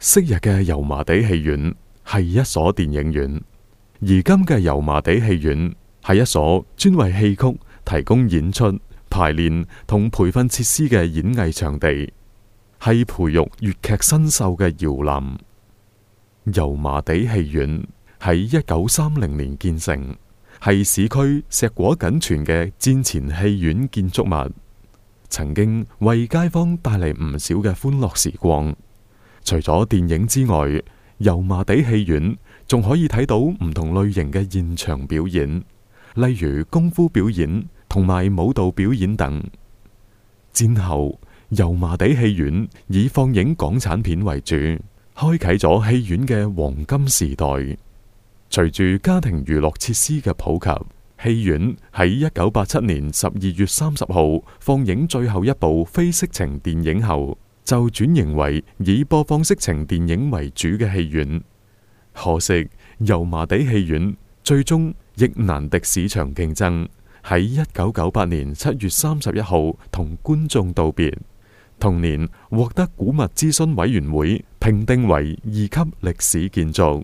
昔日嘅油麻地戲院係一所電影院，而今嘅油麻地戲院係一所專為戲曲提供演出、排練同培訓設施嘅演藝場地，係培育粵劇新秀嘅搖籃。油麻地戲院喺1930年建成，係市區碩果僅存嘅戰前戲院建築物，曾經為街坊帶嚟唔少嘅歡樂時光。除咗電影之外，油麻地戲院仲可以睇到唔同類型嘅現場表演，例如功夫表演同埋舞蹈表演等。戰後，油麻地戲院以放映港產片為主，開啟咗戲院嘅黃金時代。隨住家庭娛樂設施嘅普及，戲院喺1987年12月30號放映最後一部非色情電影後，就轉型為以播放色情電影為主嘅戲院。可惜油麻地戲院最終亦難敵市場競爭，喺1998年7月31號同觀眾道別。同年獲得古物諮詢委員會評定為2級歷史建築。